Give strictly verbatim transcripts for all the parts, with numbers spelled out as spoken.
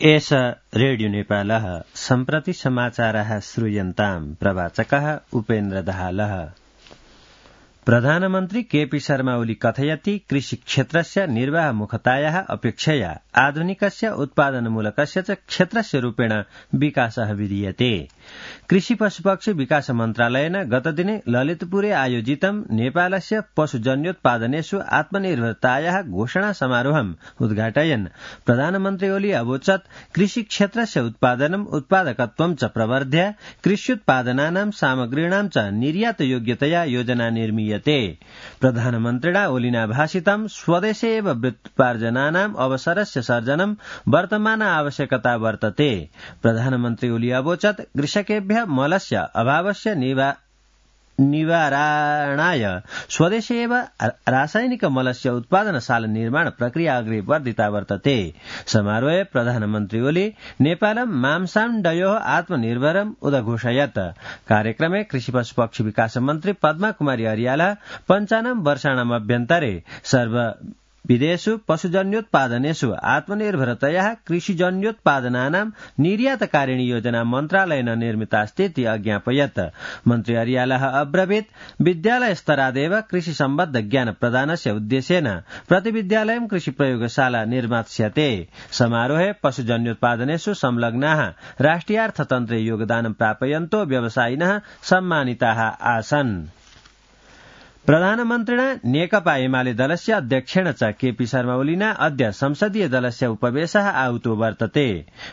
एष रेडियो नेपालः सम्प्रति समाचारः श्रूयन्ताम् प्रवाचकः उपेन्द्र दाहालः। प्रधानमन्त्री केपी शर्मा ओली कथयति कृषि क्षेत्रस्य निर्वाहमुखतायाः अपेक्षया आधुनिकस्य उत्पादनमूलकस्य च क्षेत्रस्य रूपेण विकासः विधीयते। कृषि पशुपक्षी विकास मन्त्रालयेन गतदिने ललितपुरे आयोजितं नेपालस्य पशुजन्योत्पादनेषु आत्मनिर्भरतायाः घोषणा समारोहम् उद्घाटयन् प्रधानमन्त्री ओली अवोचत् कृषि क्षेत्रस्य उत्पादनम् उत्पादकत्वं च प्रवर्ध्य कृष्युत्पादनानां सामग्रीणां च निर्यातयोग्यतया योजना निर्मीयते। प्रधानमन्त्रिणा ओलिना भाषितं स्वदेशे एव व्युत्पार्जनानाम् अवसरस्य सर्जनं वर्तमान आवश्यकता वर्तते। प्रधानमन्त्री ओली अवोचत् कृषकेभ्यः मलस्य अभावस्य निवारणाय स्वदेशे एव रासायनिक मलस्य उत्पादनशाला निर्माण प्रक्रिया अग्रे वर्धिता वर्तते। समारोहे प्रधानमन्त्री ओली नेपालं मांसाण्डयोः आत्मनिर्भरम् उदघोषयत्। कार्यक्रमे कृषि पशुपक्षी विकास मन्त्री पद्मा कुमारी अर्याल पञ्चानम् वर्षाणाम् अभ्यन्तरे सर्व विदेशु पशुजन्योत्पादनेषु आत्मनिर्भरतया कृषिजन्योत्पादनानां निर्यातकारिणी योजना मन्त्रालयेन निर्मितास्तीति अज्ञापयत्। मन्त्री अर्यालः अब्रवीत् विद्यालय स्तरादेव कृषि सम्बद्ध ज्ञान प्रदानस्य उद्देश्येन प्रतिविद्यालयं कृषि प्रयोगशाला निर्मास्यते। समारोहे पशुजन्योत्पादनेषु संलग्नाः राष्ट्रियार्थतन्त्रे योगदानं प्रापयन्तो व्यवसायिनः सम्मानिताः आसन्। प्रधानमन्त्रिणा नेकपा एमाले दलस्य अध्यक्षेण च केपी शर्मा ओलिना अद्य संसदीय दलस्य उपवेशः आहुतो वर्तते।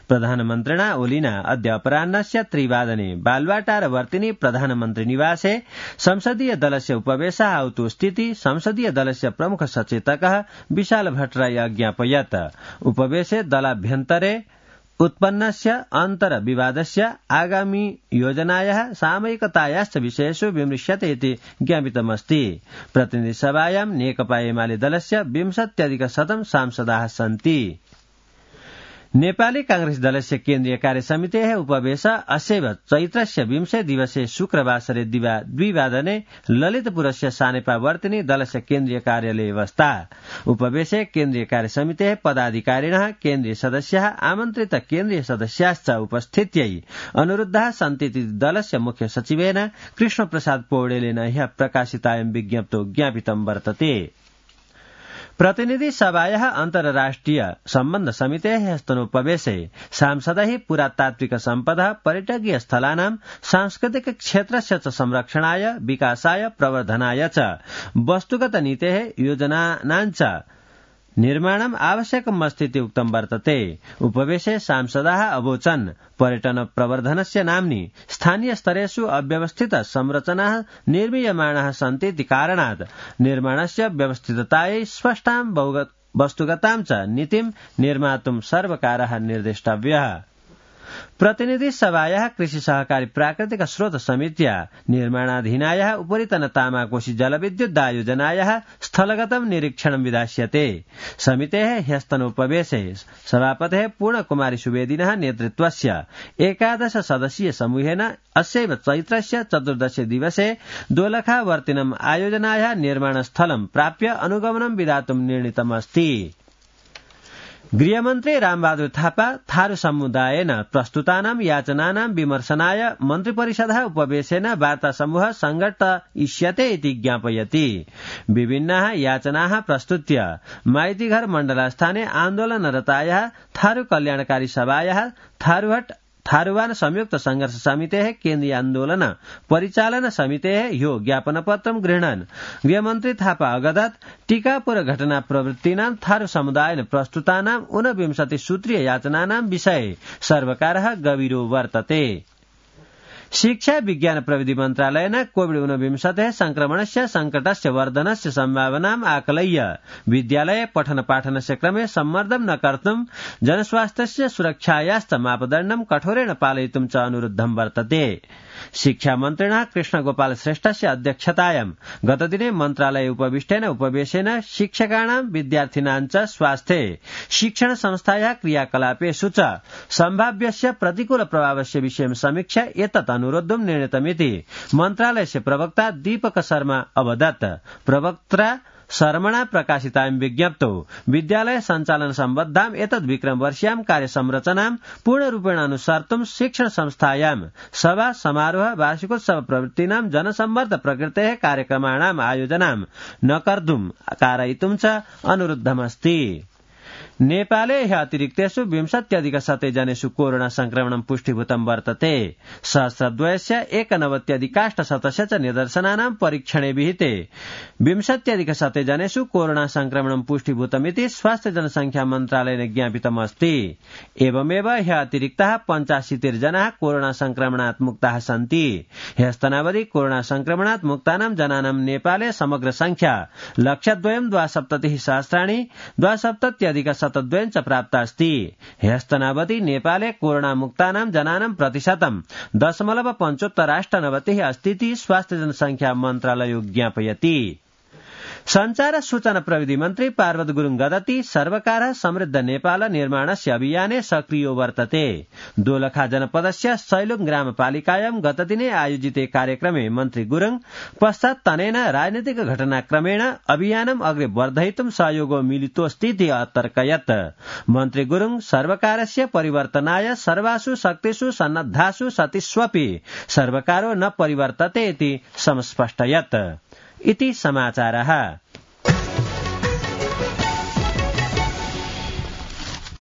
प्रधानमन्त्रिणा ओलिना अद्य अपराह्नस्य त्रिवादने बालुवाटारवर्तिनि प्रधानमन्त्री निवासे संसदीय दलस्य उपवेशः आहुतोऽस्तीति संसदीय दलस्य प्रमुख सचेतकः विशाल भट्टराई अज्ञापयत्। उपवेशे दलाभ्यन्तरे उत्पन्नस्य अन्तर विवादस्य आगामी योजनायाः सामयिकतायाश्च विषयेषु विमृश्यते इति ज्ञापितमस्ति। प्रतिनिधिसभायां नेकपा एमाले दलस्य विंशत्यधिकशतं सांसदाः सन्ति। नेपाली कांग्रेस दलस्य केन्द्रीय कार्यसमितेः उपवेश अस्यैव चैत्रस्य विंशे दिवसे शुक्रवासरे द्विवादने ललितपुरस्य सानेपावर्तिनि दलस्य केन्द्रीय कार्यालये अवस्था। उपवेशे केन्द्रीय कार्यसमितेः पदाधिकारिणः केन्द्रीय सदस्याः आमन्त्रित केन्द्रीय सदस्याश्च उपस्थित्यै अनुरुद्धाः सन्तीति दलस्य मुख्य सचिवेन कृष्णप्रसाद पौडेलेन ह्यः प्रकाशितायां विज्ञप्तौ ज्ञापितं वर्तते। प्रतिनिधि सभायाः अन्तर्राष्ट्रिय सम्बन्ध समितेः ह्यस्तनोपवेशे सांसदैः पुरातात्विक सम्पदा पर्यटकीय स्थलानां सांस्कृतिक क्षेत्रस्य च संरक्षणाय विकासाय प्रवर्धनाय च वस्तुगत नीतेः योजनानां च निर्माणम् आवश्यकमस्तीति उक्तं वर्तते। उपवेशे सांसदाः अवोचन् पर्यटन प्रवर्धनस्य नाम्नि स्थानीय स्तरेषु अव्यवस्थित संरचनाः निर्मीयमाणाः सन्तीति कारणात् निर्माणस्य व्यवस्थिततायै स्पष्टां वस्तुगतां च नीतिं निर्मातुं सर्वकारः निर्देष्टव्यः। प्रतिनिधि सभायाः कृषि सहकारी प्राकृतिक स्रोत समित्या निर्माणाधीनायाः उपरितन तामाकोशी जलविद्युदायोजनायाः स्थलगतं निरीक्षणं विधास्यते। समितेः ह्यस्तनोपवेशे सभापतेः पूर्णकुमारी सुवेदिनः नेतृत्वस्य एकादश सदस्यीय समूहेन अस्यैव चैत्रस्य चतुर्दशे दिवसे दोलखावर्तिनम् आयोजनायाः निर्माणस्थलं प्राप्य अनुगमनं विधातुं निर्णीतमस्ति। गृहमन्त्री रामबहादुर थापा थारू समुदायेन प्रस्तुतानां याचनानां विमर्शनाय मन्त्रिपरिषदः उपवेशेन वार्ता समूहः संघटयिष्यते इति ज्ञापयति। विभिन्नाः याचनाः प्रस्तुत्य माइतीघर मण्डलस्थाने आन्दोलनरतायाः थारू कल्याणकारी सभायाः थारूहट थारूवान संयुक्त संघर्ष समितेः केन्द्रीय आन्दोलन परिचालन समितेः ह्यो ज्ञापनपत्रं गृह्णन् गृहमन्त्री थापा अगदत् टीकापुर घटना प्रवृत्तीनां थारू समुदायेन प्रस्तुतानां ऊनविंशति सूत्रीय याचनानां विषये सर्वकारः गभीरो वर्तते। शिक्षा विज्ञान प्रविधि मन्त्रालयेन कोविड ऊनविंशतेः संक्रमणस्य संकटस्य वर्धनस्य सम्भावनाम् आकलय्य विद्यालये पठन पाठनस्य क्रमे सम्मर्दं न कर्तुं जनस्वास्थ्यस्य सुरक्षायाश्च मापदण्डं कठोरेण पालयितुं च अनुरुद्धं वर्तते। शिक्षा मन्त्रिणः कृष्णगोपाल श्रेष्ठस्य अध्यक्षतायां गतदिने मन्त्रालये उपविष्टेन उपवेशेन शिक्षकाणां विद्यार्थिनां च स्वास्थ्ये शिक्षण संस्थायाः क्रियाकलापेषु च सम्भाव्यस्य प्रतिकूल प्रभावस्य विषयं समीक्ष्य एतत् अनुरोद्धुं निर्णीतमिति मन्त्रालयस्य प्रवक्ता दीपक शर्मा अवदत्। प्रवक्ता शर्मणा प्रकाशितां विज्ञप्तौ विद्यालय सञ्चालन सम्बद्धां एतद् विक्रम वर्षीयां कार्यसंरचनां पूर्णरूपेण अनुसर्तुं शिक्षण संस्थायां सभा समारोह वार्षिकोत्सव प्रवृत्तीनां जनसम्मर्द प्रकृतेः कार्यक्रमाणाम् आयोजनां न कर्तुं कारयितुं च अनुरुद्धमस्ति। नेपाले ह्य अतिरिक्तेषु विंशत्यधिक शते जनेषु कोरोना संक्रमणं पुष्टीभूतं वर्तते। सहस्रद्वयस्य एकनवत्यधिकाष्टशतस्य च निदर्शनानां परीक्षणे विहिते विंशत्यधिक शते जनेषु कोरोना संक्रमणं पुष्टीभूतमिति स्वास्थ्य जनसंख्या मन्त्रालयेन ज्ञापितमस्ति। एवमेव ह्य अतिरिक्ताः पञ्चाशीतिर्जनाः कोरोना संक्रमणात् मुक्ताः सन्ति। ह्यस्तनावधि कोरोना संक्रमणात् मुक्तानां जनानां नेपाले समग्र संख्या लक्षद्वयं द्वासप्ततिः सहस्राणि द्वासप्तत्यधिक शतद्वयं च प्राप्तास्ति। ह्यस्तनावधि नेपाले कोरोना मुक्तानां जनानां प्रतिशतं दशमलव पञ्चोत्तराष्टनवतिः अस्तीति स्वास्थ्य जनसंख्या मन्त्रालयो ज्ञापयति। संचार सूचना प्रविधि मन्त्री पार्वत गुरुङ गदति सर्वकारः समृद्ध नेपाल निर्माणस्य अभियाने सक्रियो वर्तते। दोलखा जनपदस्य सैलुङ ग्रामपालिकायां गतदिने आयोजिते कार्यक्रमे मन्त्री गुरुङ पश्चात् तनेन राजनीतिक घटनाक्रमेण अभियानम् अग्रे वर्धयितुं सहयोगो मिलितोऽस्तीति अतर्कयत्। मन्त्री गुरुङ सर्वकारस्य परिवर्तनाय सर्वासु शक्तिषु सन्नद्धासु सतिष्वपि सर्वकारो न परिवर्तते इति समस्पष्टयत्। इति समाचारः।